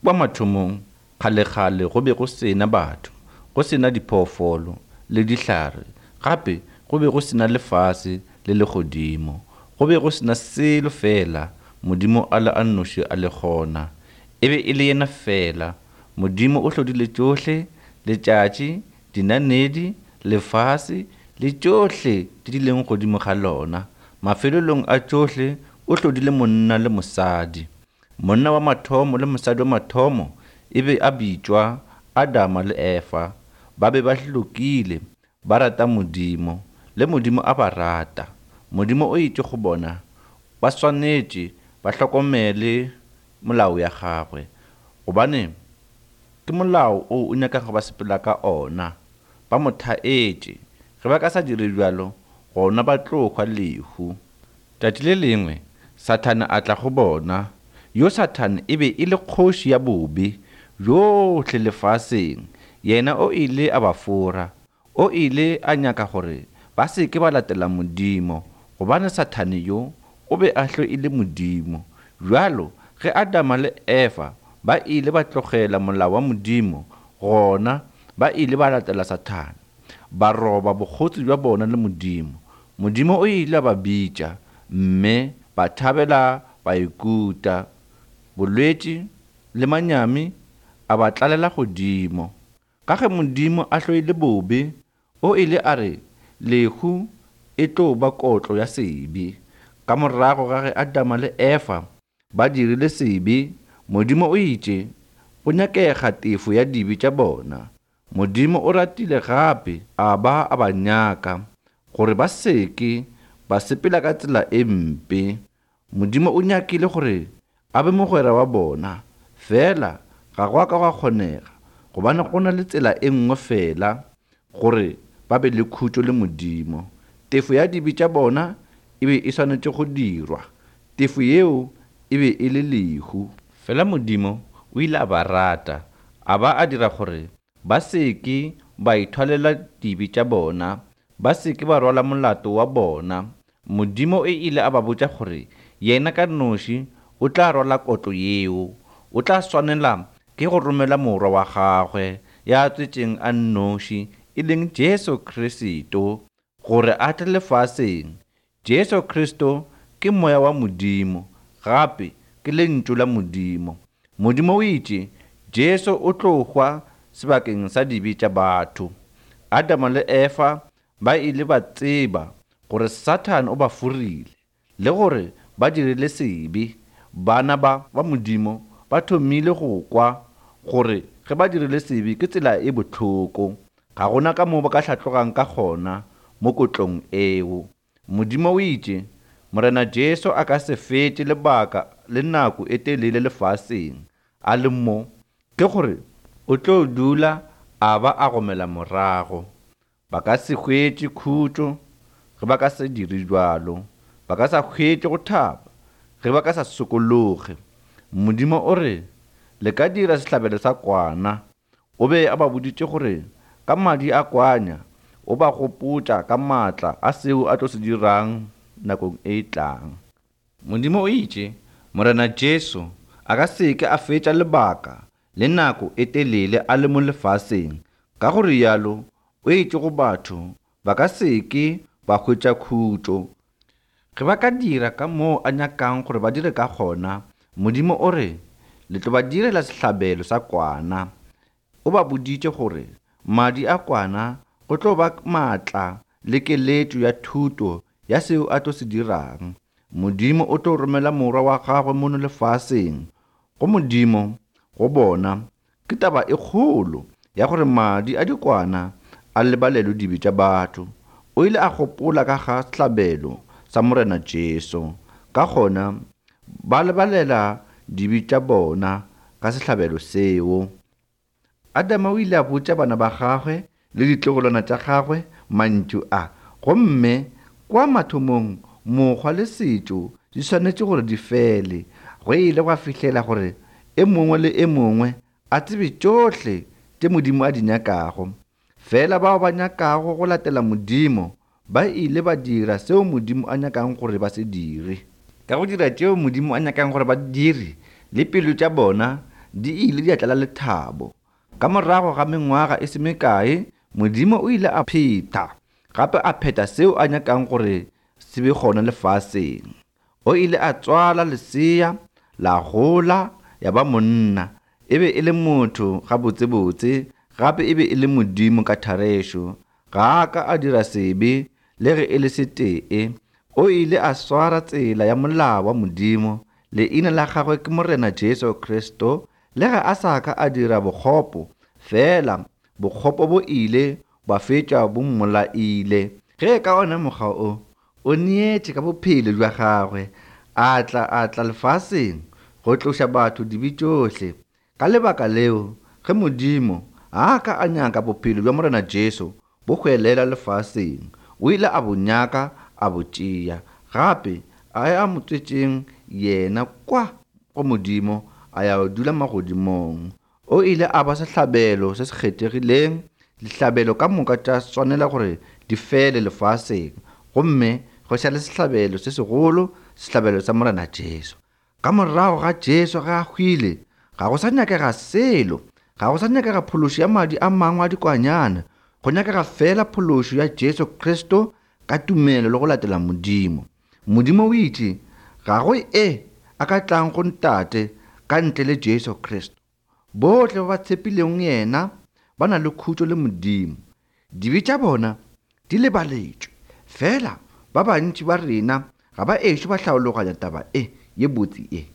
Kwa mathomong, kgalekgale go be go se na batho, go se na diphoofolo le dihlare, gape go be go se na lefase le legodimo. Go be go se na selo fela Modimo a le a nnoši a le gona. E be e le yena fela. Modimo o hlodile tšohle, letšatši, dinanedi, lefase le tšohle tše di leng godimo ga lona. Mafelelong a tšohle o hlodile monna le mosadi. Monna wa mathomo le mosadi wa mathomo e be a bitšwa Adama le Efa. Ba be ba hlokile, ba rata Modimo, le Modimo a ba rata. Modimo o itše go bona ba swanetše ba hlokomele molao ya gagwe, gobane ke molao o o nyakago ba sepela ka ona. Ba mo thaetše. Ge ba ka sa dire bjalo, gona ba tlo hwa lehu. Tšatši le lengwe Sathane a tla go bona. Yo Sathane e be e le kgoši ya bobe bjohle lefaseng. Yena o ile a ba fora. O ile a nyaka gore ba se ke ba latela Modimo, gobane Sathane yo o be a hloile Modimo. Bjalo ge Adama le Efa ba ile ba tlogela molao wa Modimo, gona ba ile ba latela Sathane, ba roba bokgotsi bja bona le Modimo. Modimo o ile a ba bitša, mme ba thabela ba ikuta. Bolwetši le manyami a ba tlalela godimo. Ka ge Modimo a hloile bobe, o ile a re lehu e tlo ba kotlo ya sebe. Ka morago ga ge Adama le Efa ba dirile sebe, Modimo o itše go nyakega tefo ya dibe tša bona. Modimo o ratile gape a ba a ba nyaka gore ba se ke ba sepela ka tsela e mpe. Modimo o nyakile gore a be mogwera wa bona, fela ga go a ka gwa kgonega, gobane go na le tsela e nngwe fela gore ba be le khutšo le Modimo. Tefo ya dibe tša bona e be e swanetše go dirwa. Tefo yeo e be e le lehu. Fela Modimo o ile a ba rata, a ba a dira gore ba se ke ba ithwalela dibe tša bona, ba se ke ba rwala molato wa bona. Modimo o ile a ba botša gore yena ka noši o tla rwala kotlo yeo. O tla swanela ke go romela Morwa wa gagwe ya tswetšeng a nnoši, e leng Jesu Kristo, gore a tle lefaseng. Jesu Kristo ke Moya wa Modimo, gape ke Lentšu la Modimo. Modimo o itše Jesu o tlo hwa sebakeng sa dibe tša batho. Adama le Efa ba ile ba tseba gore Sathane o ba forile le gore ba dirile sebe. Bana ba ba Modimo ba thomile go kwa gore ge ba dirile sebe ke tsela e bohloko. Ga gona ka moo ba ka hlatlogang ka gona mo kotlong eo. Modimo o itše, Morena Jesu a ka se fetše lebaka le nako e telele lefaseng a le mo, ke gore o tlo dula a ba a gomela morago. Ba ka se hwetše khutšo ge ba ka se dire bjalo. Ba ka sa hwetše go thaba ge ba ka sa sokologe. Modimo o re, Le ka dira sehlabelo sa kwana. O be a ba boditše gore ka madi a kwanya o ba gopotša ka maatla a seo a tlo se dirang nakong e tlang. Modimo o itše, Morena Jesu a ka se ke a fetša lebaka le nako e telele a le mo lefaseng. Ka go rialo o itše go batho ba ka se ke ba hwetša khutšo. Ge ba ka dira ka moo a nyakang gore ba dire ka gona, Modimo o re, Le tlo ba direla sehlabelo sa kwana. O ba boditše gore madi a kwana go tlo ba maatla le keletšo ya thuto ya seo a tlo se dirang. Modimo o tlo romela Morwa wa gagwe mono lefaseng. Go Modimo, go bona, ke taba e kgolo ya gore madi a dikwana a lebalelwe dibe tša batho. O ile a gopola ka ga sehlabelo sa Morena Jesu. Ka gona ba lebalela dibe tša bona ka sehlabelo seo. Adama o ile a botša bana ba gagwe le ditlogolwana tša gagwe mantšu a, gomme kwa mathomong mokgwa le setšo di swanetše gore di fele. Go ile gwa fihlela gore e mongwe le e mongwe a tsebe tšohle tše Modimo a di nyakago. Fela bao ba nyakago go latela Modimo ba ile ba dira seo Modimo a nyakang gore ba se dire. Ka go dira tšeo Modimo a nyakang gore ba di dire, le pelo tša bona di ile di a tlala lethabo. Ka morago ga mengwaga e se mekae, Modimo o ile a phetha gape a phetha seo a nyakang gore se be gona lefaseng. O ile a tswala lesea, la gola ya ba monna. E be e le motho gabotsebotse, gape e be e le Modimo ka therešo. Ga a ka a dira sebe le ge e le setee. O ile a swara tsela ya molao wa Modimo. Leina la gagwe ke Morena Jesu Kristo. Le ge a sa ka a dira bokgopo, fela bokgopo bo ile bwa fetša bo mmolaile. Ge ka ona mokgwa o, o neetše ka bophelo bja gagwe, a tla a tla lefaseng go tloša batho dibe tšohle. Ka lebaka leo, ge Modimo a ka a nyaka bophelo bja Morena Jesu bo hwelela lefaseng, o ile a bo nyaka a bo tšea. Gape a ya mo tswetšeng yena kwa go Modimo a ya dula magodimong. O ile a ba sehlabelo se se kgethegileng. Dihlabelo ka moka tša swanela gore di fele lefaseng, gomme go šale sehlabelo se segolo, sehlabelo sa Morena Jesu. Ka morago ga Jesu ge a hwile, ga go sa nyakega selo, ga go sa nyakega phološo ya madi a mangwe a dikwanyana, go nyakega fela phološo ya Jesu Kristo ka tumelo le go latela Modimo. Modimo o itše, Ga go e a ka tlang go Ntate ka ntle le Jesu Kristo. Bohle ba ba tshepileng yena ba na le khutšo le Modimo. Dibe tša bona di lebaletšwe. Fela ba bantši ba rena ga ba ešo ba hlaologanya taba e ye botse ye.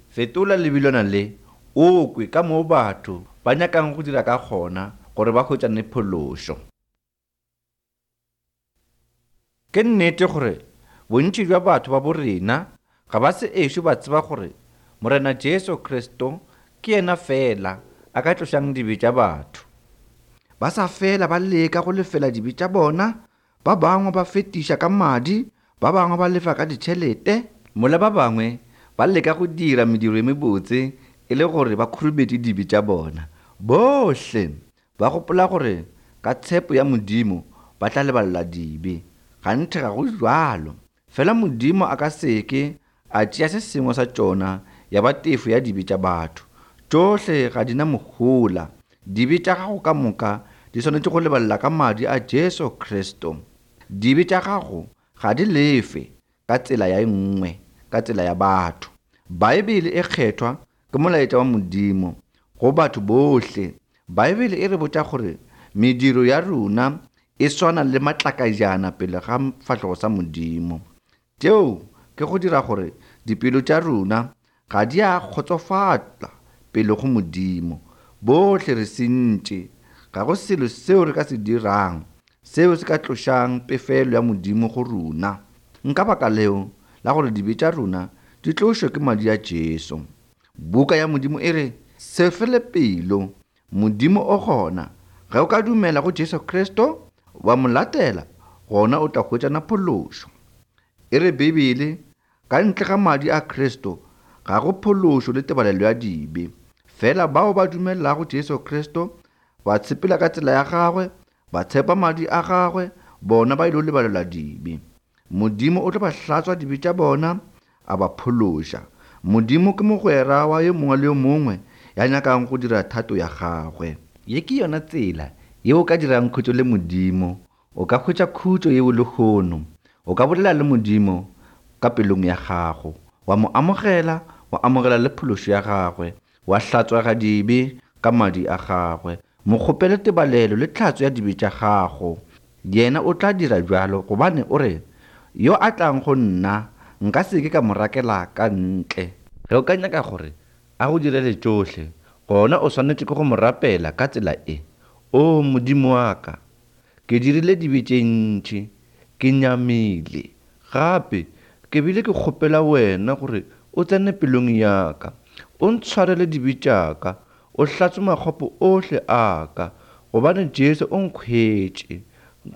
Fetola lebilwana le, o kwe ka moo batho ba nyakang go dira ka gona gore ba hwetšane phološo. Ke nnete gore bontši bja batho ba bo rena ga ba se ešo ba tseba gore Morena Jesu Kristo ke yena feela a ka tlošang dibe tša batho. Ba sa fela ba leka go lefela dibe tša bona, ba bangwe ba fetiša ka madi, ba bangwe ba lefa ka ditšhelete, mola ba bangwe ba leka go dira mediro e mebotse e le gore ba khurumetše dibe tša bona. Bohle Ba gopola gore ka tshepo ya Modimo ba tla lebalelwa dibe. Ganthe ga go bjalo. Fela Modimo a ka se ke a tšea se sengwe sa tšona ya ba tefo ya dibe tša batho. Tšohle ga di na mohola. Dibe tša gago ka moka di swanetše go lebalelwa ka madi a Jesu Kristo. Dibe tša gago ga di lefe ka tsela ya e nngwe, ka tsela ya batho. Baebele e Kgethwa ke molaetša wa Modimo go batho bohle. Baebele e re botša gore mediro ya rena e swana le matlakajana pele ga fahlogo sa Modimo. Tšeo ke go dira gore dipelo tša rena ga di a kgotsofala pele go Modimo. Bohle re sentše. Ga go selo seo re ka se dirang seo se ka tlošang pefelo ya Modimo go rena. Nka baka leo la gore dibe tša rena di tlošwe ke madi a Jesu. Buka ya Modimo e re, Se fele pelo, Modimo o gona. Ge o ka dumela go Jesu Kristo, wa mo latela, gona o tla hwetšana phološo. E re Bibele, Ka ntle ga madi a Kristo, ga go phološo le tebalelo ya dibe. Fela bao ba dumelago Jesu Kristo, ba tshepela ka tsela ya gagwe, ba tshepa madi a gagwe, bona ba ilo lebalelwa dibe. Modimo o tlo ba hlatswa dibe tša bona, a ba phološa. Modimo ke mogwera wa yo mongwe le yo mongwe ya nyakang go dira thato ya gagwe. Ye ke yona tsela ye o ka dirang khutšo le Modimo. O ka hwetša khutšo yeo lehono. O ka bolela le Modimo ka pelong ya gago, wa mo amogela, wa amogela le phološo ya gagwe, wa hlatswega dibe ka madi a gagwe. Mo kgopele tebalelo le tlhatso ya dibe tša gago. Yena o tla dira bjalo, gobane o re, Yo a tlang go nna, nka se ke ka mo rakela ka ntle. Ge o ka nyaka gore a go direle tšohle, gona o swanetše ke go mo rapela ka tsela e, O Modimo wa ka, ke dirile dibe tše ntši, ke nyamile. Gape ke bile ke kgopela wena gore o tsene pelong ya ka, o ntshwarele dibe tša ka, o hlatswe makgopo ohle a ka, gobane Jesu o nkhwetše.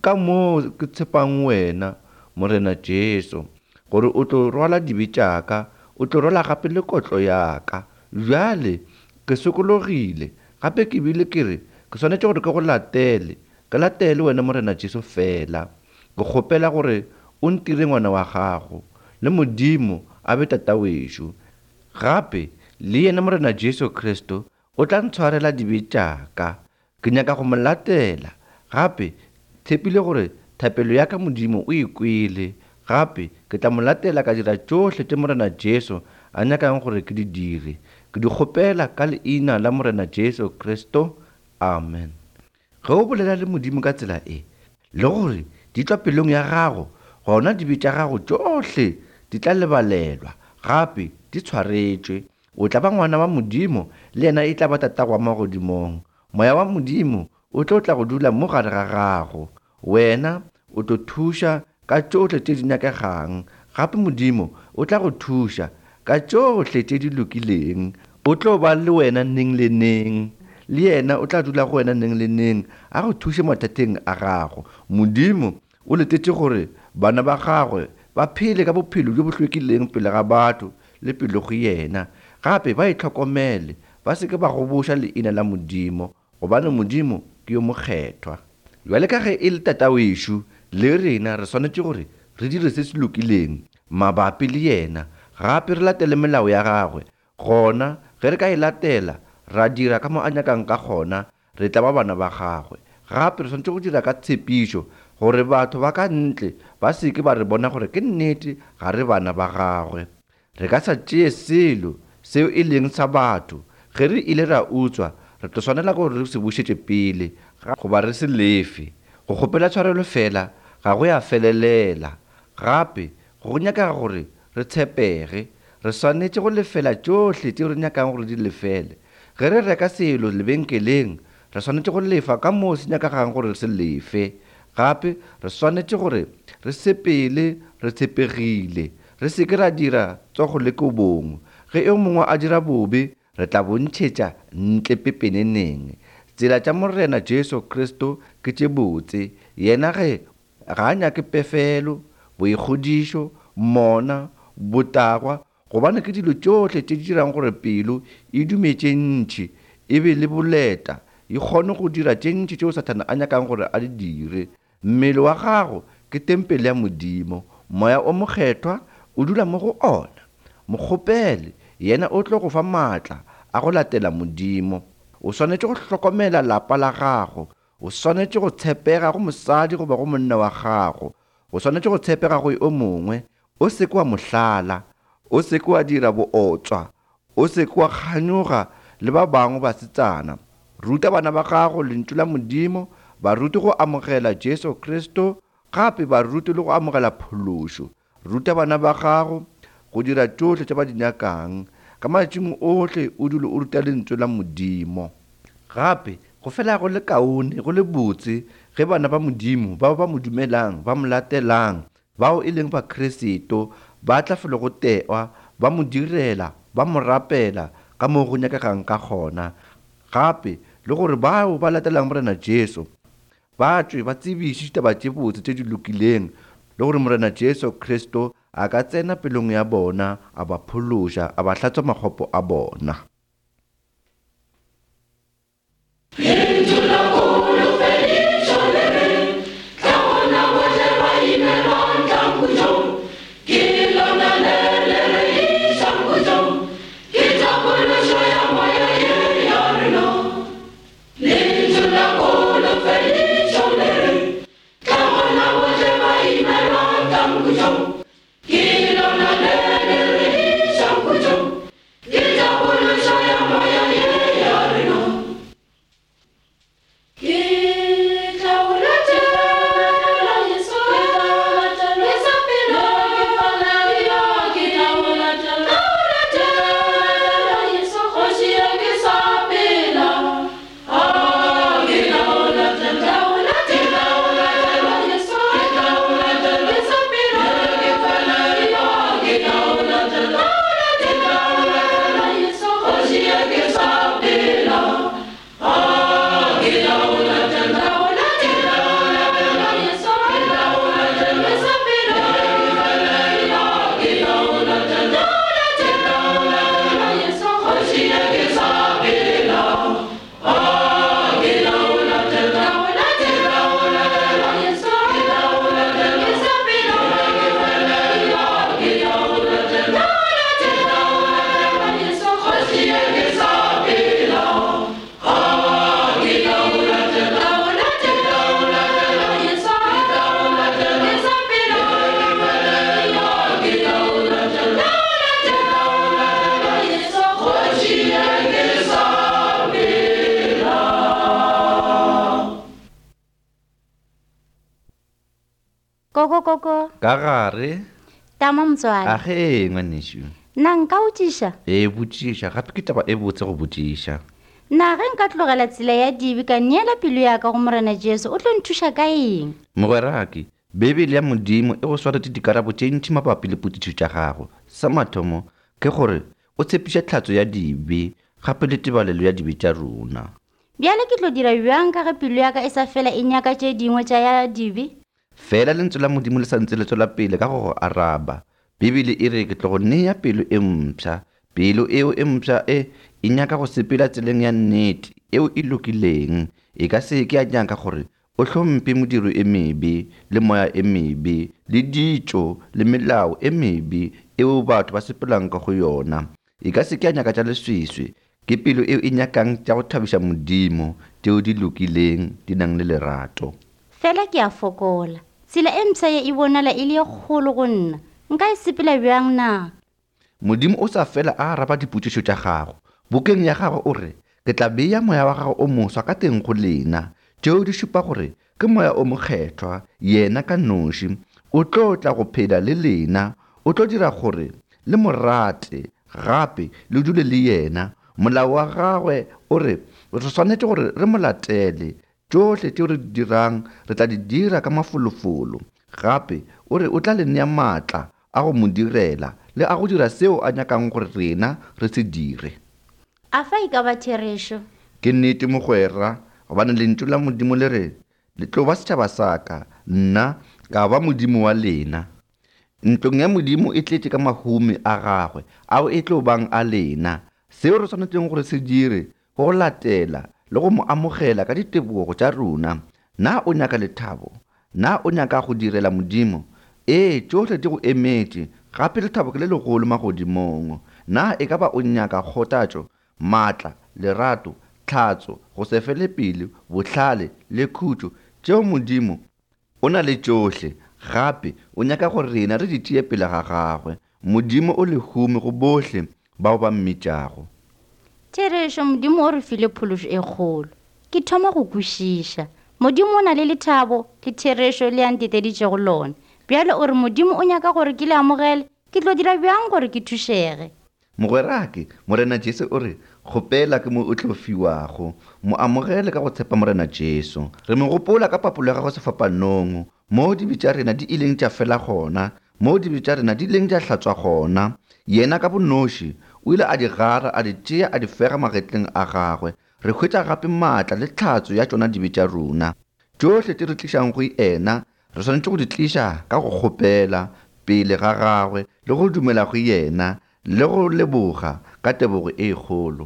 Ka moo ke tshepang wena, Morena Jesu, gore o tlo rwala dibe tša ka, o tlo rwala gape le kotlo ya ka. Bjale ke sokologile, gape ke bile ke re ke swanetše gore ke go latele, ke latele wena Morena Jesu feela. Ke kgopela gore o ntire ngwana wa gago, le Modimo a be Tatawešo. Gape. Le yena Morena Jesu Kristo o tla ntshwarela dibe tša ka. Ke nyaka go mo latela. Gape tshepile gore thapelo ya ka Modimo o e kwele. Gape ke tla mo latela ka dira tšohle tše Morena Jesu a nyakang gore ke di dire. Ke di kgopela ka leina la Morena Jesu Kristo. Amen. Ge o bolela le Modimo ka tsela e, le gore di tšwa pelong ya gago, gona dibe tša gago tšohle di tla lebalelwa, gape di tshwaretšwe. O tla ba ngwana wa Modimo, le yena e tla ba Tatago wa magodimong. Moya wa Modimo o tlo tla go dula mo gare ga gago. Wena o tlo thuša ka tšohle tše di nyakegang, gape Modimo o tla go thuša ka tšohle tše di lokileng. O tlo ba le wena neng le neng, le yena o tla dula go wena neng le neng, a go thuše mathateng a gago. Modimo o letetše gore bana ba gagwe ba phele ka bophelo bjo bo hlwekileng pele ga batho le pele go yena, gape ba itlhokomele, ba se ke ba goboša leina la Modimo, gobane Modimo ke yo mokgethwa. Bjale ka ge e le Tatawešo, le rena re swanetše gore re dire se se lokileng mabapi le yena, gape re latele melao ya gagwe. Gona ge re ka e latela, ra dira ka mo a nyakang ka gona, re tla ba bana ba gagwe. Gape re swanetše go dira ka tshepišo gore batho ba ka ntle ba se ke ba re bona gore ke nnete ga re bana ba gagwe. Re ka sa tšee selo seo e leng sa batho. Ge re ile ra utswa, re tlo swanela ke gore re se bušetše pele goba re se lefe. Go kgopela tshwarelo feela ga go ya felelela. Gape go nyakega gore re tshepege. Re swanetše go lefela tšohle tšeo re nyakang gore di lefele. Ge re reka selo lebenkeleng, re swanetše go lefa ka moo se nyakegang gore re se lefe. Gape re swanetše gore re sepele re tshepegile, re se ke ra dira tsogo le kobong. Ge yo mongwe a dira bobe, re tla bo ntšhetša ntle pepeneneng. Tsela tša Morena Jesu Kristo ke tše botse. Yena ge ga a nyake pefelo, boikgodišo, mona, botagwa, gobane ke dilo tšohle tše di dirang gore pelo e dume tše ntši, e be le boleta, e kgone go dira tše ntši tšeo Sathane a nyakang gore a di dire. Mmele wa gago ke tempele ya Modimo, Moya o Mokgethwa o dula mo go ona. Mo kgopele, yena o tlo go fa maatla a go latela Modimo. O swanetše go hlokomela lapa la gago. O swanetše go tshepega go mosadi goba go monna wa gago. O swanetše go tshepega go yo mongwe. O se ke wa mo hlala. O se ke wa dira bootswa. O se ke wa kganyoga le ba bangwe basetsana. Ruta bana ba gago Lentšu la Modimo, ba rute go amogela Jesu Kristo, gape ba rute le go amogela phološo. Ruta bana ba gago go dira tšohle tše ba di nyakang. Ka matšatšing ohle o dule o ruta Lentšu la Modimo. Gape go fela go le kaone, go le botse ge bana ba Modimo bao ba mo dumelang, ba mo latelang, bao e leng Bakristo, ba tla felo go tewa, ba mo direla, ba mo rapela ka moo go nyakegang ka gona. Gape le gore bao ba latelang Morena Jesu ba tšwe ba tsebiše ditaba tše botse tše di lokileng, le gore Morena Jesu Kristo a ka tsena pelong ya bona, a ba phološa, a ba hlatswa makgopo a bona. Lentšu la kholofedišo le re, Tla gona bohle ba imelwang, tlang khutšong. Ke lona le le re išang khutšong, ke tapološo ya moya ye ya rena. Lentšu la kholofedišo le re, Tla gona bohle ba imelwang, tlang khutšong. Ke lona le le re išang khutšong, ke tapološo. Koko, koko. Ka gare. Tama motswadi. A ge, ngwanešu. Na nka botšiša? Ee, botšiša. Gape ke taba e botse go botšiša. Na ge nka tlogela tsela ya dibe ka neela pelo ya ka go Morena Jesu, o tlo nthuša ka eng? Mogwerake, Beibele ya Modimo e go swaretše dikarabo tše ntši mabapi le potšišo tša gago. Sa mathomo ke gore o tshepiša tlhatso ya dibe gape le tebalelo ya dibe tša rona. Bjale ke tlo dira bjang ka ge pelo ya ka e sa fela e nyaka tše dingwe tša ya dibe? Fela Lentswe la Modimo le sa ntse le tswela pele ka go go araba. Bibele e re ke tlo go nea pelo e mpsha. Pelo eo e mpsha e e nyaka go sepela tseleng ya nnete eo e lokileng. E ka se ke ya nyaka gore o hlomphe modiro e mebe le moya e mebe le ditšo le melao e mebe eo batho ba sepelang ka go yona. E ka se ke ya nyaka tša leswiswi. Ke pelo eo e nyakang tša go thabiša Modimo, tšeo di lokileng, di nang le lerato. Fela ke a fokola. Tsela e mpsha ye e bonala e le ye kgolo go nna. Nka e sepela bjang na? Modimo o sa fela a araba dipotšišo tša gago. Bukeng ya gagwe o re, Ke tla bea moya wa gagwe o moswa ka teng go lena. Tšeo di šupa gore ke Moya o Mokgethwa, yena ka noši. O tlo tla go phela le lena. O tlo dira gore le mo rate gape le dule le yena. Molao wa gagwe o re re swanetše gore re mo latele. Tšohle tšeo re di dirang re tla di dira ka mafolofolo. Gape o re o tla le nea maatla a go mo direla le a go dira seo a nyakang gore rena re se dire. A fa e ka ba therešo? Ke nnete mogwera, gobane Lentšu la Modimo le re, Le tlo ba setšhaba sa ka, nna ka ba Modimo wa lena. Ntlong ya Modimo e tletše ka mahumi a gagwe ao e tlo bang a lena. Seo re swanetšeng gore se dire ke go latela le go mo amogela ka ditebogo tša rona. Na o nyaka lethabo? Na o nyaka go direla Modimo? Ee, tšohle di go emetše, gape lethabo ke le legolo magodimong. Na e ka ba o nyaka kgothatšo, maatla, lerato, tlhatso, go se fele pelo, bohlale le khutšo tšeo Modimo O na le tšohle, gape o nyaka gore rena re di tšee pele ga gagwe. Modimo o lehume go bohle bao ba mmitšago. Therešo, Modimo o re file phološo e kgolo. Ke thoma go kwešiša. Modimo o na le lethabo le therešo le a nteteditšego lona. Bjale o re Modimo o nyaka gore ke le amogele, ke tlo dira bjang gore ke thušege? Mogwerake, Morena Jesu o re, Kgopela ke mo o tlo fiwago. Mo amogele ka go tshepa Morena Jesu. Re mo gopola ka papolo ya gagwe sefapanong, moo dibe tša rena di ileng tša fela gona, moo dibe tša rena di ileng tša hlatswa gona. Yena ka bonoši o ile a di gara, a di tšea, a di fega magetleng a gagwe. Re hwetša gape maatla le tlhatso ya tšona dibe tša rena. Tšohle tše re tlišang go yena Re swanetše go di tliša ka go kgopela pele ga gagwe le go dumela go yena le go leboga ka tebogo e kgolo.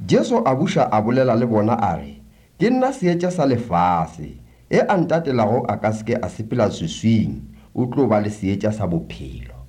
Jesu a buša a bolela le bona a re, Ke nna seetša sa lefase. E a ntatelago a ka se ke a sepela swiswing, o tlo ba le seetša sa bophelo.